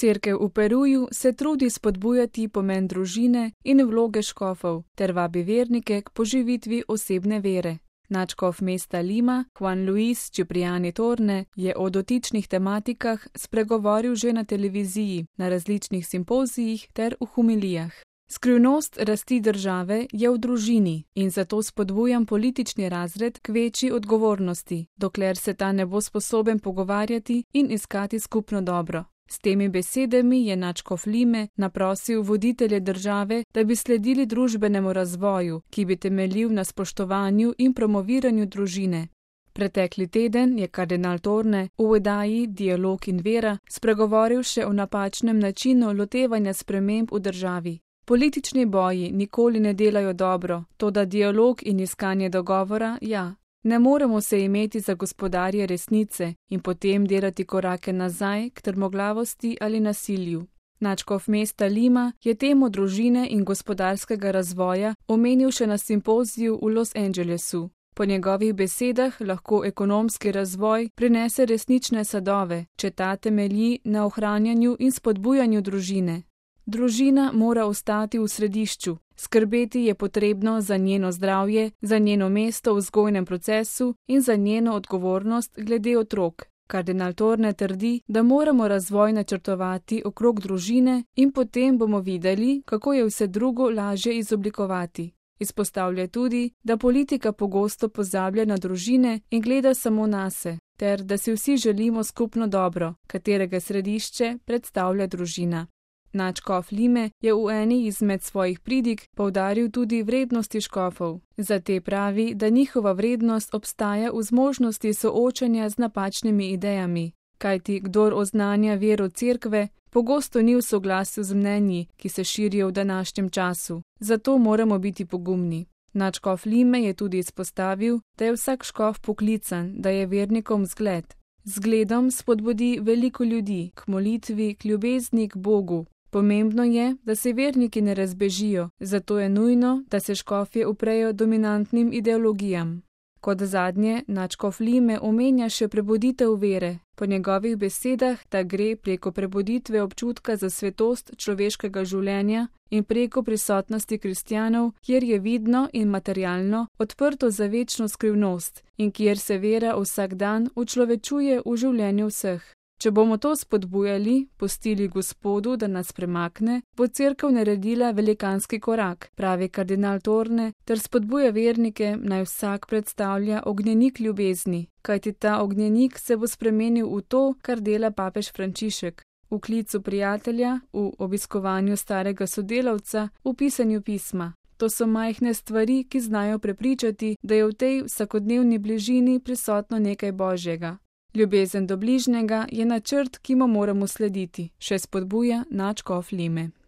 Cerkev v Peruju se trudi spodbujati pomen družine in vloge škofov ter vabi vernike k poživitvi osebne vere. Nadškof mesta Lima, Juan Luis Cipriani Torne, je o dotičnih tematikah spregovoril že na televiziji, na različnih simpozijih ter v homilijah. Skrivnost rasti države je v družini in zato spodbujam politični razred k večji odgovornosti, dokler se ta ne bo sposoben pogovarjati in iskati skupno dobro. S temi besedami je nadškof Lime naprosil voditelje države, da bi sledili družbenemu razvoju, ki bi temeljil na spoštovanju in promoviranju družine. Pretekli teden je kardinal Torne v oddaji Dialog in vera spregovoril še o napačnem načinu lotevanja sprememb v državi. Politični boji nikoli ne delajo dobro, toda dialog in iskanje dogovora, ja. Ne moremo se imeti za gospodarje resnice in potem delati korake nazaj k trmoglavosti ali nasilju. Nadškof mesta Lima je temo družine in gospodarskega razvoja omenil še na simpoziju v Los Angelesu. Po njegovih besedah lahko ekonomski razvoj prinese resnične sadove, če ta temelji na ohranjanju in spodbujanju družine. Družina mora ostati v središču, skrbeti je potrebno za njeno zdravje, za njeno mesto v vzgojnem procesu in za njeno odgovornost glede otrok. Kardinal Torne trdi, da moramo razvoj načrtovati okrog družine in potem bomo videli, kako je vse drugo lažje izoblikovati. Izpostavlja tudi, da politika pogosto pozablja na družine in gleda samo nase, ter da si vsi želimo skupno dobro, katerega središče predstavlja družina. Nadškof Lime je v eni izmed svojih pridig poudaril tudi vrednosti škofov. Za te pravi, da njihova vrednost obstaja v zmožnosti soočanja z napačnimi idejami, kajti kdor oznanja vero cerkve, pogosto ni v soglasju z mnenji, ki se širijo v današnjem času. Zato moramo biti pogumni. Nadškof Lime je tudi izpostavil, da je vsak škof poklican, da je vernikom zgled. Zgledom spodbudi veliko ljudi k molitvi, k ljubezni k Bogu. Pomembno je, da se verniki ne razbežijo, zato je nujno, da se škofje uprejo dominantnim ideologijam. Kot zadnje, nadškof Lime omenja še prebuditev vere. Po njegovih besedah, da gre preko prebuditve občutka za svetost človeškega življenja in preko prisotnosti kristjanov, kjer je vidno in materialno odprto za večno skrivnost in kjer se vera vsak dan učlovečuje v življenju vseh. Če bomo to spodbujali, pustili Gospodu, da nas premakne, bo cerkev naredila velikanski korak, pravi kardinal Torne, ter spodbuja vernike, naj vsak predstavlja ognjenik ljubezni, kajti ta ognjenik se bo spremenil v to, kar dela papež Frančišek. V klicu prijatelja, v obiskovanju starega sodelavca, v pisanju pisma. To so majhne stvari, ki znajo prepričati, da je v tej vsakodnevni bližini prisotno nekaj božjega. Ljubezen do bližnjega je načrt, ki mu moramo slediti, še spodbuja nadškof Lime.